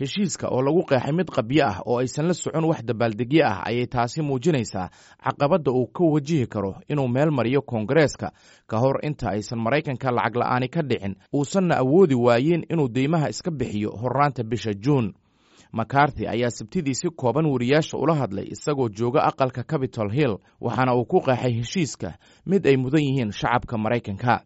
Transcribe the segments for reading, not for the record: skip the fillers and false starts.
Heshiiska oo lagu qeexay mid qabyo ah oo aysan la socon wax dabaaldegyo ah ayay taasi muujinaysaa caqabadda uu ka wajihi karo inuu meel mariyo Koongareeska ka hor inta aysan Maraykanka lacag la'aani ka dhicin, uusanna awoodi waayin inuu deymaha iska bixiyo horraanta bisha Juun. McCarthy ayaa Sabtidii si kooban wariyaasha ula hadlay isagoo jooga aqalka Capitol Hill, waxaana uu ku qeexay heshiiska mid ay mudan yihiin shacabka Maraykanka.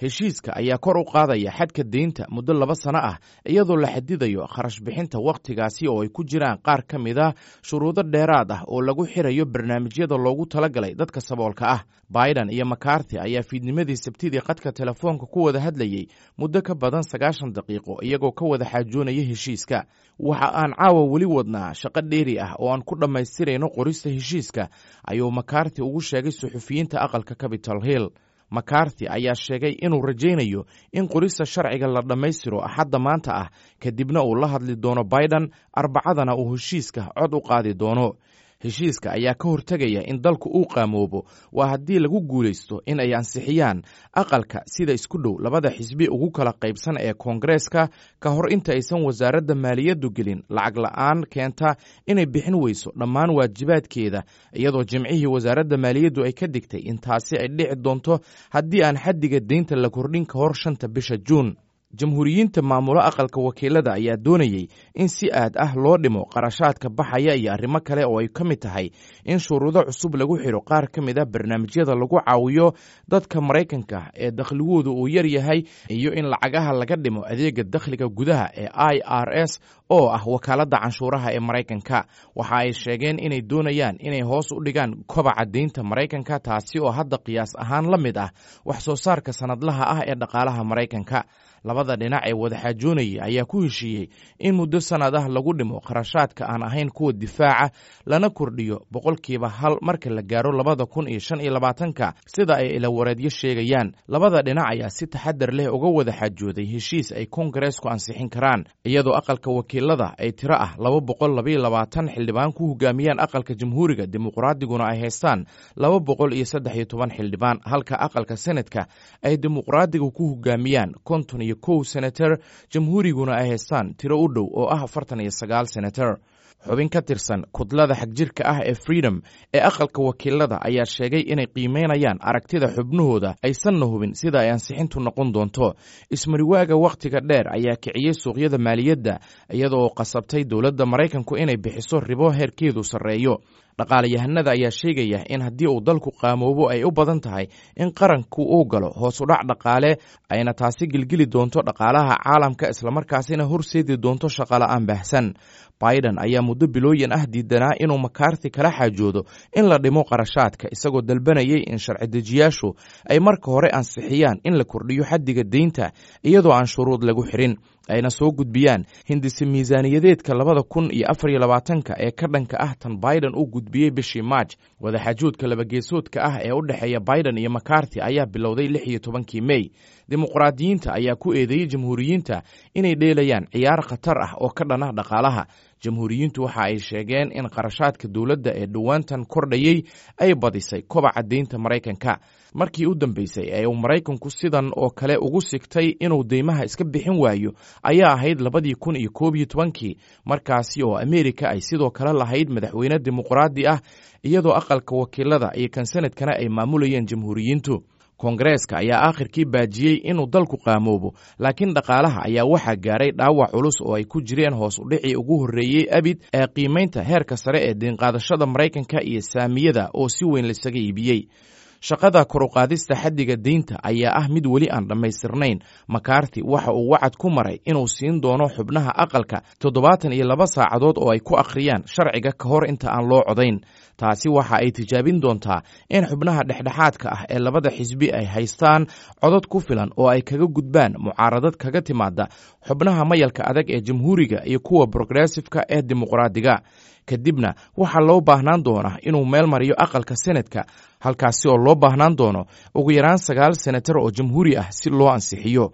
Heshiiska ayaa kor u qaadaya xadka deynta muddo 2 sano ah, iyadoo la xadidayo kharash bixinta wakhtigaasi, oo ay ku jiraan qaar ka mid a shuruudo dheeraad ah oo lagu xirayo barnaamijyada loogu talagalay dadka saboolka ah. Biden iyo McCarthy ayaa fiidnimadii Sabtidii khadka telefoonka ku wada hadlayey muddo ka badan 90 daqiiqo, iyagoo ka wada xaajoonaya heshiiska. "Waxa aan caawa weli wadnaa shaqo dheeri ah oo aan ku dhammaystirayno qorista heshiiska," ayuu McCarthy ugu sheegay suxufiyiinta aqalka Capitol Hill. McCarthy ayaa sheegay inuu rajaynayo in qorista sharciga la dhammaystiro Axadda maanta ah, kadibna uu la hadli doono Biden, Arbacadana uu heshiiska cod u qaadi doono. Heshiiska ayaa ka hortegaya in dalku uu qaamoobo, waa haddii lagu guulaysto in ay ansixiyaan aqalka sida isku dhow labada xisbi ugu kala qaybsan ee Koongareeska, ka hor inta aysan wasaaradda maaliyaddu gelin lacag la'aan keenta inay bixin weyso dhammaan waajibaadkeeda, iyadoo Jimcihii wasaaradda maaliyaddu ay ka digtay in taasi ay dhici doonto haddii aan xaddiga deynta la kordhin ka hor 5-ta bisha Juun. Jamhuuriyiinta maamulo aqalka wakiilada ayaa doonayey in si aad ah loo dhimo qarashaadka baxaya iyo arrimo kale oo ay ka mid tahay in shuruudo cusub lagu xidho qaar ka mid a barnaamijyada lagu caawiyo dadka Maraykanka ee dakhligoodu uu yar yahay, iyo in lacagaha laga dhimo adeega dakhliga gudaha ee IRS, oo ah wakaaladda canshuuraha ee Maraykanka. Waxa ay sheegeen inay doonayaan inay hoos u dhigaan kobaca deynta Maraykanka, taasi oo hadda qiyaas ahaan la mid ah wax soo saarka sanadlaha ah ee dhaqaalaha Maraykanka. Labada dhinac ee wadaxaajoonayay ayaa ku heshiiyey in muddo sanad ah lagu dhimo kharashaadka aan ahayn kuwa difaaca, lana kordhiyo 1% marka la gaaro 2025-ka, sida ay ilawareedyo sheegayaan. Labada dhinac ayaa si taxadar leh uga wada xaajooday heshiis ay Koongareesku ansixin karaan, iyadoo aqalka wakiilada ay tiro ah 222 xildhibaan ku hogaamiyaan aqalka Jamhuuriga, Dimuqraadiguna ay haystaan 213 xildhibaan, halka aqalka Senetka ay Dimuqraadigu ku hogaamiyaan 51 senator, Jamhuuriguna ay haystaan tiro u dhow oo ah 49 senator. Xubin ka tirsan kudlada xagjirka ah ee Freedom ee aqalka wakiilada ayaa sheegay inay qiimeynayaan aragtida xubnahooda, aysanna hubin sida ay ansixintu noqon doonto. Ismariwaaga wakhtiga dheer ayaa kiciyey suuqyada maaliyadda, iyadoo qasabtay dowladda Maraykanku inay bixiso ribo heerkeedu sarreeyo. Dhaqaalayahanada ayaa sheegaya in haddii uu dalku qaamoobo ay u badan tahay in qaranku uu galo hoos u dhac dhaqaale, ayna taasi gilgili doonto dhaqaalaha caalamka, islamarkaasina horseedi doonto shaqola'aan baahsan. Biden ayaa muddo bilooyin ah diidanaa inuu McCarthy kala xaajoodo in la dhimo qarashaadka, isagoo dalbanayay in sharci dejiyaashu ay marka hore ansixiyaan in la kordhiyo xaddiga deynta iyadoo aan shuruud lagu xirin, ayna soo gudbiyaan hindise miisaaniyadeedka 2024-ka ee ka dhanka ah tan Biden uu gudbiyey bishii Maaj. Wadaxaajoodka labageesoodka ah ee u dhexeeya Biden iyo McCarthy ayaa bilowday 16-kii Mey. Dimuqraadiyiinta ayaa ku eedeeyey Jamhuuriyiinta inay dheelayaan ciyaar khatar ah oo ka dhan ah dhaqaalaha. Jamhuuriyiintu waxa ay sheegeen in qarashaadka dowladda ee dhowaantan kordhayey ay badisay kobaca deynta Maraykanka. Markii u dambeysay ee uu Maraykanku sidan oo kale ugu sigtay inuu deymaha iska bixin waayo ayaa ahayd 2011-kii, markaasi oo Ameerika ay sidoo kale lahayd madaxweyne dimuqraadi ah, iyadoo aqalka wakiilada iyo kan sanadkana ay maamulayeen Jamhuuriyiintu. Koongareeska ayaa aakhirkii baajiyey inuu dalku qaamoobo, laakiin dhaqaalaha ayaa waxaa gaaray dhaawac culus oo ay ku jireen hoos u dhicii ugu horreeyey abid ee qiimaynta heerka sare ee deenqaadashada Maraykanka iyo saamiyada oo si weyn laisaga iibiyey. Shaqada koruqaadista xaddiga deynta ayaa ah mid weli aan dhammaystirnayn. McCarthy waxa uu wacad ku maray inuu siin doono xubnaha aqalka 72 saacadood oo ay ku akhriyaan sharciga ka hor inta aan loo codayn. Taasi waxa ay tijaabin doontaa in xubnaha dhexdhexaadka ah ee labada xisbi ay haystaan codod ku filan oo ay kaga gudbaan mucaaradad kaga timaada xubnaha mayalka adag ee Jamhuuriga iyo kuwa progressifka ee Dimuqraadiga. Kadibna waxaa loo baahnaan doonaa inuu meel mariyo aqalka Senetka, halkaasi oo loo baahnaan doono ugu yaraan 9 senatar oo jamhuuri ah si loo ansixiyo.